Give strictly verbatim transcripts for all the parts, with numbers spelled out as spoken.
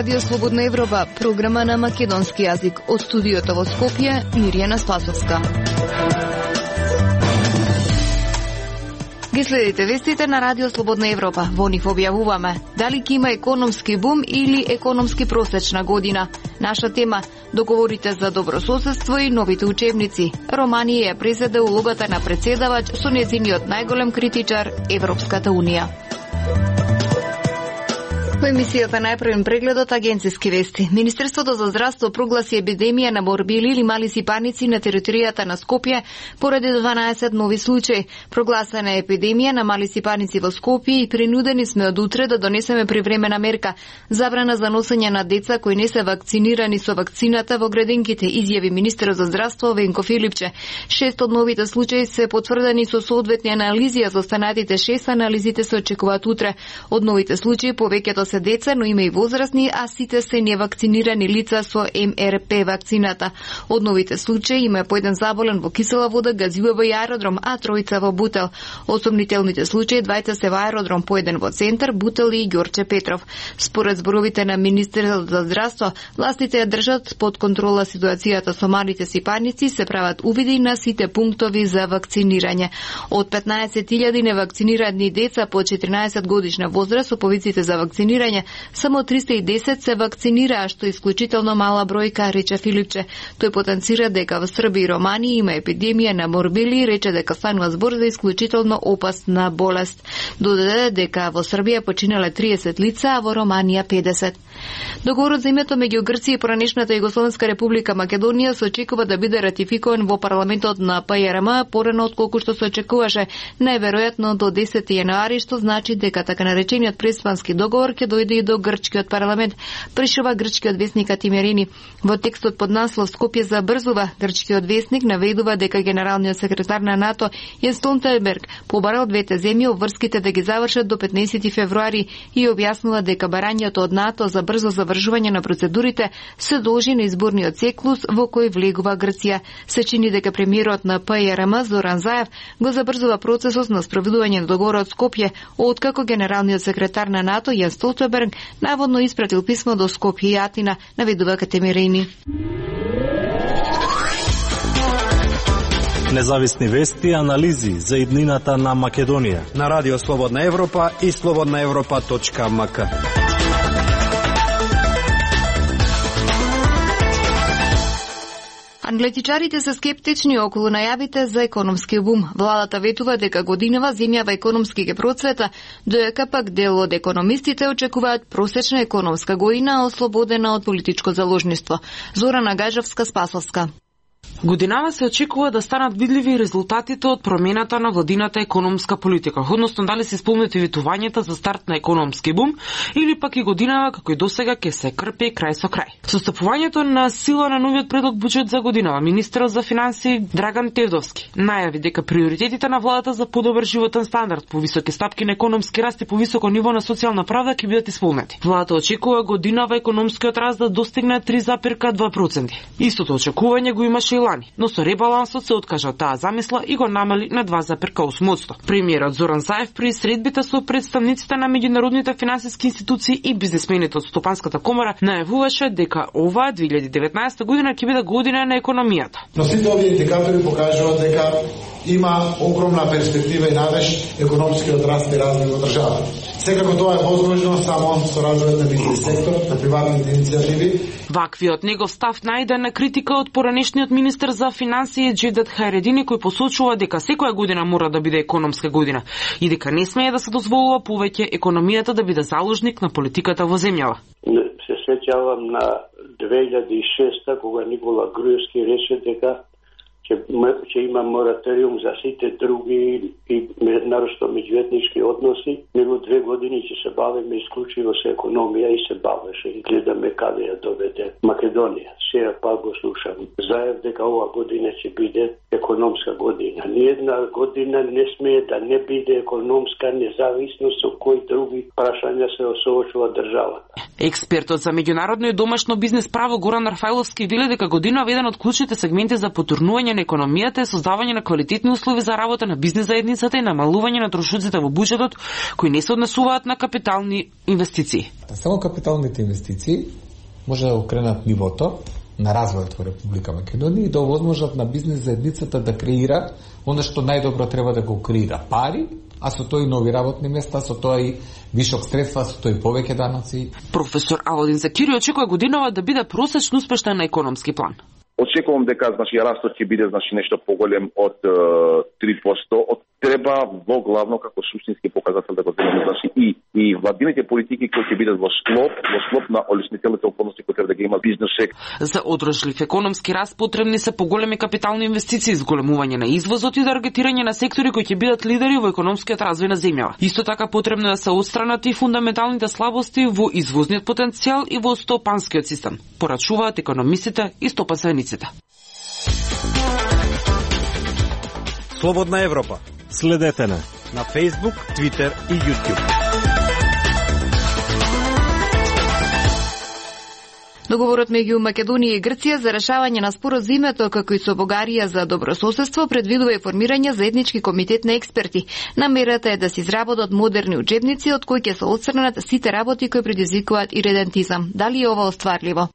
Радио Слободна Европа, програма на македонски јазик. Од студиото во Скопје, Мирјана Спасовска. Ги следите вестите на Радио Слободна Европа. Во нив објавуваме дали ќе има економски бум или економски просечна година. Наша тема – договорите за добрососедство и новите учебници. Романија ја презеде улогата на председавач со нејзиниот најголем критичар Европската Унија. Во емисијата најпрвен прегледот агенциски вести. Министерството за здравство прогласи епидемија на морбили или мали сипаници на територијата на Скопје поради дванаесет нови случаи. Прогласена е епидемија на мали сипаници во Скопје и принудени сме од утре да донесеме привремена мерка. Забрана за носење на деца кои не се вакцинирани со вакцината во градинките, изјави министерот за здравство Венко Филипче. Шест од новите случаи се потврдени со соодветни анализи, а за останатите шест анализите се очекуваат утре. Од новите случаи повеќето се деца, но има и возрастни, а сите се невакцинирани лица со Ем Ер Пе вакцината. Од новите случаи има по еден заболен во Кисела вода, Газилево и аеродром, а тројца во Бутел. Од сомнителните случаи двајца се во аеродром, по еден во Центар, Бутел и Ѓорче Петров. Според зборовите на министерството за здравство, властите ја држат под контрола ситуацијата со малите сипаници, се прават увиди на сите пунктови за вакцинирање. Од петнаесет илјади невакцинирани деца по четиринаесет годишна возраст со повиците за вакцинирање, само триста и десет се вакцинираа, што е исклучително мала бројка, рече Филипче. Тој потенцира дека во Србија и Романија има епидемија на морбили и рече дека станува збор за исклучително опасна болест. Додаде дека во Србија починале триесет лица, а во Романија педесет. Договорот за името меѓу Грција и поранешната Југословенска република Македонија се очекува да биде ратификуван во парламентот на Пе Ер Ем порано отколку што се очекуваше, најверојатно до десети јануари, што значи дека така наречениот преспански договор ќе дојде и до грчкиот парламент, пришува грчкиот весник Атимерини. Во текстот под наслов Скопје забрзува, грчкиот весник наведува дека генералниот секретар на НАТО Јенс Столтенберг побарал двете земји обврските да ги завршат до петнаесети февруари и објаснува дека барањето од НАТО за брзо завршување на процедурите се должи на изборниот циклус во кој влегува Грција. Се чини дека премиерот на Пе Ер Ем Зоран Заев го забрзува процесот на спроведување на договорот Скопје, откако генералниот секретар на НАТО Јенс Столтенберг наводно испратил писмо до Скопје и Атина, наведува Катемирини. Независни вести и анализи за иднината на Македонија на Радио Слободна Европа и слободна европа точка ем ка. Аналитичарите се скептични околу најавите за економски бум. Владата ветува дека годинава земјава економски ке процвета, додека пак дел од економистите очекуваат просечна економска година ослободена од политичко заложништво. Зорана Гајжевска, Спасовска. Годинава се очекува да станат видливи резултатите од промената на владината економска политика, односно дали се исполнети ветувањата за старт на економски бум или пак и годинава како и досега ќе се крпи крај со крај. Со стапувањето на сила на новиот предлог буџет за годинава, министерот за финансии Драган Тевдовски најави дека приоритетите на владата за подобар животен стандард, повисоки стапки на економски раст и повисоко ниво на социјална правда ќе бидат исполнети. Владата очекува годинава економскиот раст да достигне три запирка два проценти. Истото очекување го имаше и лани, но со ребалансот се откажа таа замисла и го намали на два запирка осум проценти. Премиерот Зоран Заев при средбите со представниците на меѓународните финансиски институции и бизнисмените од Стопанската комора најавуваше дека оваа две илјади и деветнаесета година ќе биде година на економијата. Но сите овие индикатори покажуваат дека има огромна перспектива и надеж економскиот раст и развој во државата. Секако тоа е возможно само со развојот на бизнис сектор, на приватните иницијативи. Ваквиот негов став најде на критика од поранешниот министер за финансии Џевдет Хајредини, кој посочува дека секоја година мора да биде економска година и дека не смее да се дозволува повеќе економијата да биде заложник на политиката во земјава. Се сеќавам на две илјади и шеста кога Никола Груевски рече дека ќе има мораториум за сите други и нарошто меѓуетнички односи, него две години ќе се бавиме исклучиво со економија и се бавеше и гледаме каде ја доведе Македонија. Сега пак го слушам Заев дека ова година ќе биде економска година. Ниедна година не смее да не биде економска, независно со кои други прашања се соочува државата. Експертот за меѓународно и домашно бизнес право Горан Рафајловски вели дека година е еден од клучните сегменти за потурнување развивање на економијата е создавање на квалитетни услови за работа на бизнис заедницата и намалување на трошоците во буџетот кои не се однесуваат на капитални инвестиции. Само капиталните инвестиции може да окренат нивото на развојот во Република Македонија и да овозможат на бизнис заедницата да креира оно што најдобро треба да го креира, пари, а со тоа и нови работни места, со тоа и вишок средства, со тоа и повеќе даноци. Професор Аводин Закири очекува годинава да биде просечно успешна на економски план. Очекувам дека значи растот ќе биде значи нешто поголем од е, три проценти. Од треба во главно како суштински показател да го земеме значи и и владините политики кои ќе бидат во склоп, во склоп на олеснителните околности кои треба да ги има бизнес сектор. За одржлив економски раст потребни се поголеми капитални инвестиции, зголемување на извозот и таргетирање на сектори кои ќе бидат лидери во економскиот развој на земјава. Исто така потребно е да се отстранат и фундаменталните слабости во извозниот потенцијал и во стопанскиот систем, порачуваат економистите и стопанствениците. Слободна Европа. Следете на на Facebook, Twitter и YouTube. Договорот меѓу Македонија и Грција за решавање на спорот за името, како и со Бугарија за добрососедство, предвидува и формирање заеднички комитет на експерти. Намерата е да се изработат модерни учебници од кои ќе се отстранат сите работи кои предизвикуваат иредентизам. Дали е ова остварливо?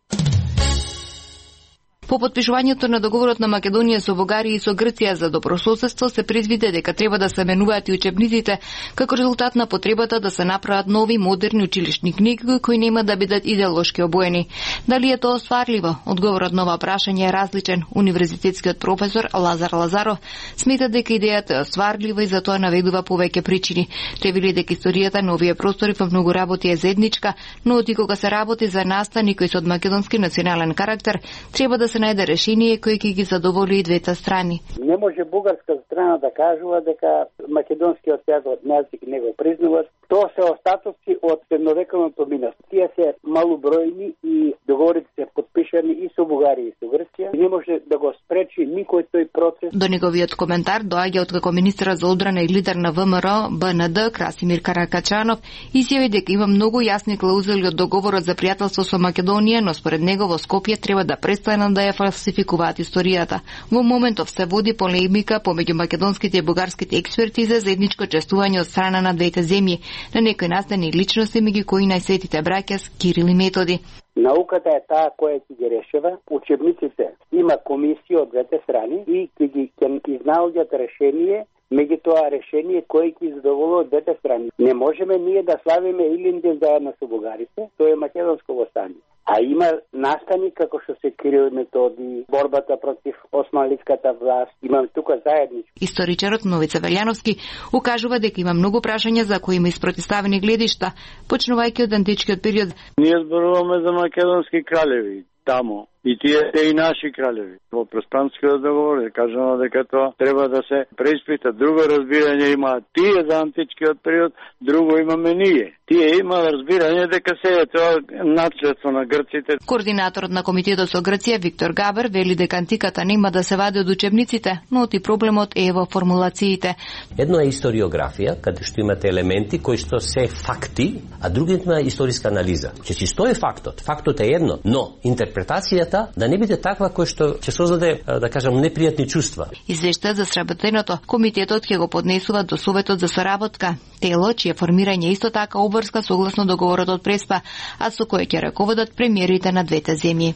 По потпишувањето на договорот на Македонија со Бугарија и со Грција за добрососедство се предвиде дека треба да се менуваат и учебниците како резултат на потребата да се направат нови модерни училишни книги кои нема да бидат идеолошки обоени. Дали е тоа остварливо? Одговорот на ова прашање е различен. Универзитетскиот професор Лазар Лазаров смета дека идејата е остварлива и затоа наведува повеќе причини. Тој вели дека историјата на овие простори во многу работи е заедничка, но оти кога се работи за настани кои се од македонски национален карактер, треба да се најде решение кој ќе ги задоволи и двете страни. Не може бугарска страна да кажува дека македонскиот јазик не го признават. Тоа се остатоци од средновековното минато. Тие се малобројни и договорите се подпишани и со Бугарија и со Грција. Не може да го спречи никој тој процес. До неговиот коментар доаѓа од како министер за одбрана и лидер на ВМРО БНД Красимир Каракачанов изјави дека има многу јасни клаузули од договорот за пријателство со Македонија, но според него во Скопје треба да престанат да ја фалсификуваат историјата. Во моментов се води полемика помеѓу македонските и бугарските експерти за заедничко чествување од страна на двете земји на некои настани личности меѓу кои најсветите браќа Кирил и Методи. Науката е таа која ќе ги решава. Учебниците има комисија од двете страни и ќе ги ќе изнаоѓаат решение, меѓутоа решение кое ќе задоволува двете страни. Не можеме ние да славиме Илинден заедно со бугарите, тоа е македонско востание. А има настани како што се Кирил и Методи, борбата против османлиската власт, имаме тука заедничко. Историчарот Новица Велјановски укажува дека има многу прашања за кои има испротивставени гледишта, почнувајќи од античкиот период. Ние зборуваме за македонски кралеви тамо. И тие се и наши кралеви. Во Преспанскиот договор е кажано дека тоа треба да се преиспита. Друго разбирање има тие за античкиот период, друго имаме ние. Тие има разбирање дека се е тоа наследство на грците. Координаторот на комитетот со Грција Виктор Габер вели дека антиката нема да се вади од учебниците, но оти проблемот е во формулациите. Едно е историографија, каде што имате елементи кои што се факти, а другото е историска анализа. Че што е фактот? Фактот е едно, но интерпретацијата да не биде таква кој што ќе создаде, да кажам, непријатни чувства. Извештајот за сработеното, комитетот ќе го поднесува до Советот за соработка, тело чие формирање исто така обврска согласно договорот од Преспа, а со кој ќе раководат премиерите на двете земји.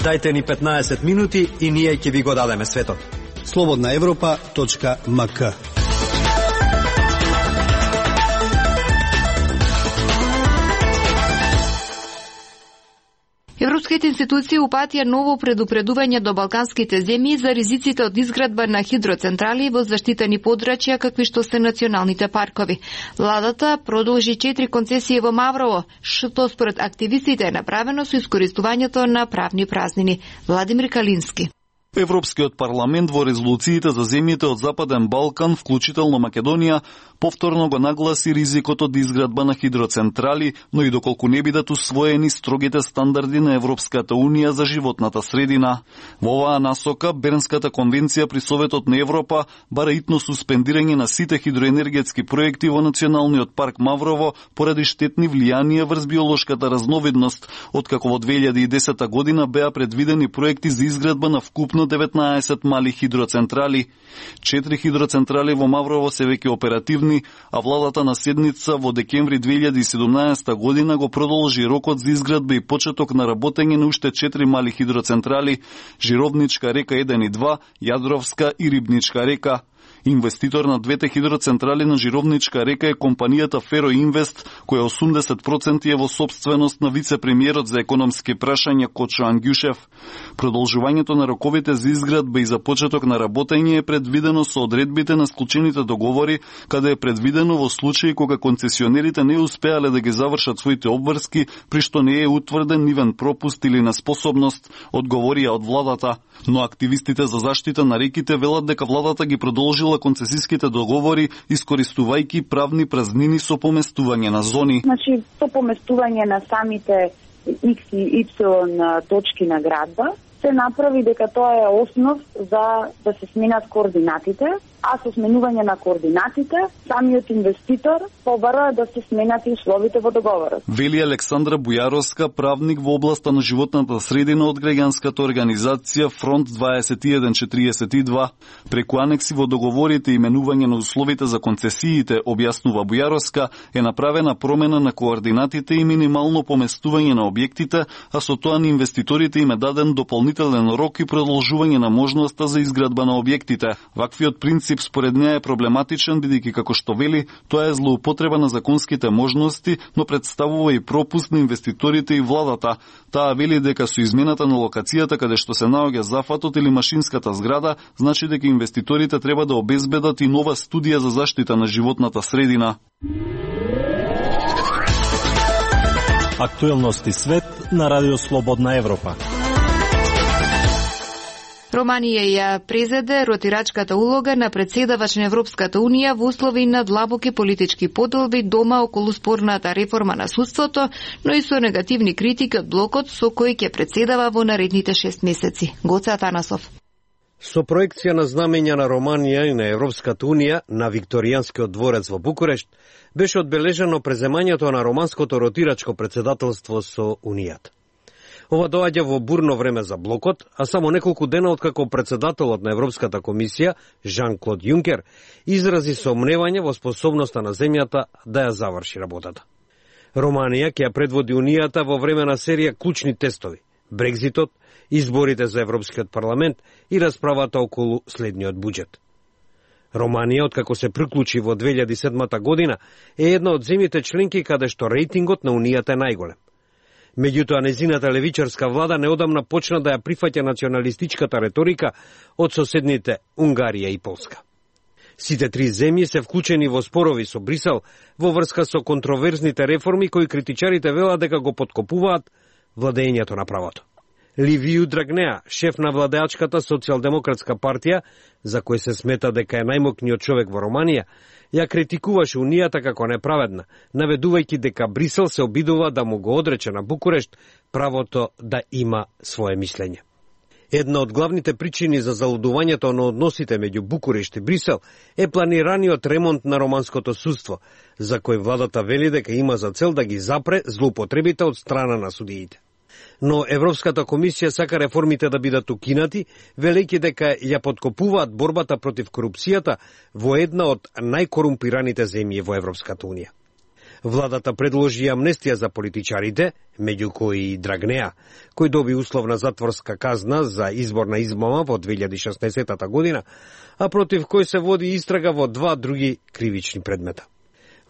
Дајте ни петнаесет минути и ние ќе ви го дадеме светот. слободна европа точка ем ка. Европските институции упатија ново предупредување до балканските земји за ризиците од изградба на хидроцентрали во заштитени подрачја какви што се националните паркови. Владата продолжи четири концесии во Маврово, што според активистите е направено со искористувањето на правни празнини. Владимир Калински. Европскиот парламент во резолуциите за земјите од Западен Балкан, вклучително Македонија, повторно го нагласи ризикот од изградба на хидроцентрали, но и доколку не бидат усвоени строгите стандарди на Европската Унија за животната средина. Во оваа насока, Бернската конвенција при Советот на Европа бара итно суспендирање на сите хидроенергетски проекти во Националниот парк Маврово поради штетни влијанија врз биолошката разновидност, откако во две илјади и десета година беа предвидени проекти за изградба на вкупно деветнаесет мали хидроцентрали. Четири хидроцентрали во Маврово се веќе оперативни, а владата на седница во декември две илјади и седумнаесета година го продолжи рокот за изградба и почеток на работење на уште четири мали хидроцентрали: Жировничка река еден и два, Јадровска и Рибничка река. Инвеститор на двете хидроцентрали на Жировничка река е компанијата Фероинвест, која осумдесет проценти е во собственост на вице-премиерот за економски прашања Кочо Ангјушев. Продолжувањето на роковите за изградба и за почеток на работење е предвидено со одредбите на склучените договори, каде е предвидено во случаи кога концесионерите не успеале да ги завршат своите обврски, при што не е утврден нивен пропуст или неспособност, одговорија од владата. Но активистите за заштита на реките велат дека владата ги продолжила концесиските договори, искористувајќи правни празнини со поместување на зони. Значи, со поместување на самите X и Y точки на градба, се направи дека тоа е основ за да се сменат координатите, а со сменување на координатите, самиот инвеститор побара да се сменат и условите во договорот. Вели Александра Бујаровска, правник во областа на животната средина од граѓанската организација Фронт дваесет и еден четириесет и два. Преку анекси во договорите и именување на условите за концесиите, објаснува Бујаровска, е направена промена на координатите и минимално поместување на објектите, а со тоа на инвеститорите им е даден дополнителен рок и продолжување на можноста за изградба на објектите. Ваквиот принцип според неа е проблематичен, бидејќи како што вели, тоа е злоупотреба на законските можности, но представува и пропуст на инвеститорите и владата. Таа вели дека со измената на локацијата каде што се наоѓа зафатот или машинската зграда, значи дека инвеститорите треба да обезбедат и нова студија за заштита на животната средина. Актуелности свет на Радио Слободна Европа. Романија ја презеде ротирачката улога на председавач на Европската Унија во услови на длабоки политички поделби дома околу спорната реформа на судството, но и со негативни критики од блокот со кој ќе председава во наредните шест месеци. Гоце Атанасов. Со проекција на знамења на Романија и на Европската Унија на Викторијанскиот дворец во Букурешт беше одбележано преземањето на романското ротирачко председателство со Унијата. Ова доаѓа во бурно време за блокот, а само неколку дена откако председателот на Европската комисија, Жан-Клод Јункер, изрази сомневање во способноста на земјата да ја заврши работата. Романија ќе ја предводи Унијата во време на серија клучни тестови: Брекзитот, изборите за Европскиот парламент и расправата околу следниот буџет. Романија, откако се приклучи во две илјади и седма година, е една од земјите членки каде што рейтингот на Унијата е најголем. Меѓутоа, незината левичарска влада неодамна почна да ја прифаќа националистичката реторика од соседните Унгарија и Полска. Сите три земји се вклучени во спорови со Брисел во врска со контроверзните реформи кои критичарите велат дека го поткопуваат владењето на правото. Ливију Драгнеа, шеф на владеачката социјалдемократска партија, за кој се смета дека е најмокниот човек во Романија, ја критикуваше Унијата како неправедна, наведувајќи дека Брисел се обидува да му го одрече на Букурешт правото да има свое мислење. Една од главните причини за залудувањето на односите меѓу Букурешт и Брисел е планираниот ремонт на романското судство, за кој владата вели дека има за цел да ги запре злоупотребите од страна на судиите. Но Европската комисија сака реформите да бидат укинати, велејќи дека ја подкопуваат борбата против корупцијата во една од најкорумпираните земји во Европската Унија. Владата предложи амнестија за политичарите, меѓу кои и Драгнеа, кој доби условна затворска казна за изборна измама во две илјади и шеснаесета година, а против кој се води истрага во два други кривични предмета.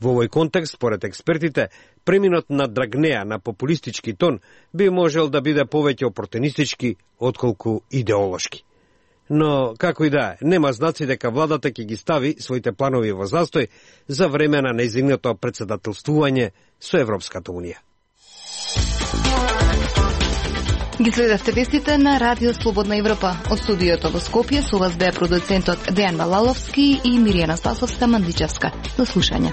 Во овој контекст, според експертите, преминот на Драгнеа на популистички тон би можел да биде повеќе опортунистички отколку идеолошки. Но, како и да е, нема знаци дека владата ќе ги стави своите планови во застој за време на нејзиното председателствување со Европската Унија. Ги следевте вестите на Радио Слободна Европа. Од студиото во Скопје со вас беа продуцентот Дејан Балаловски и Миријана Спасовска Мандичевска. До слушање.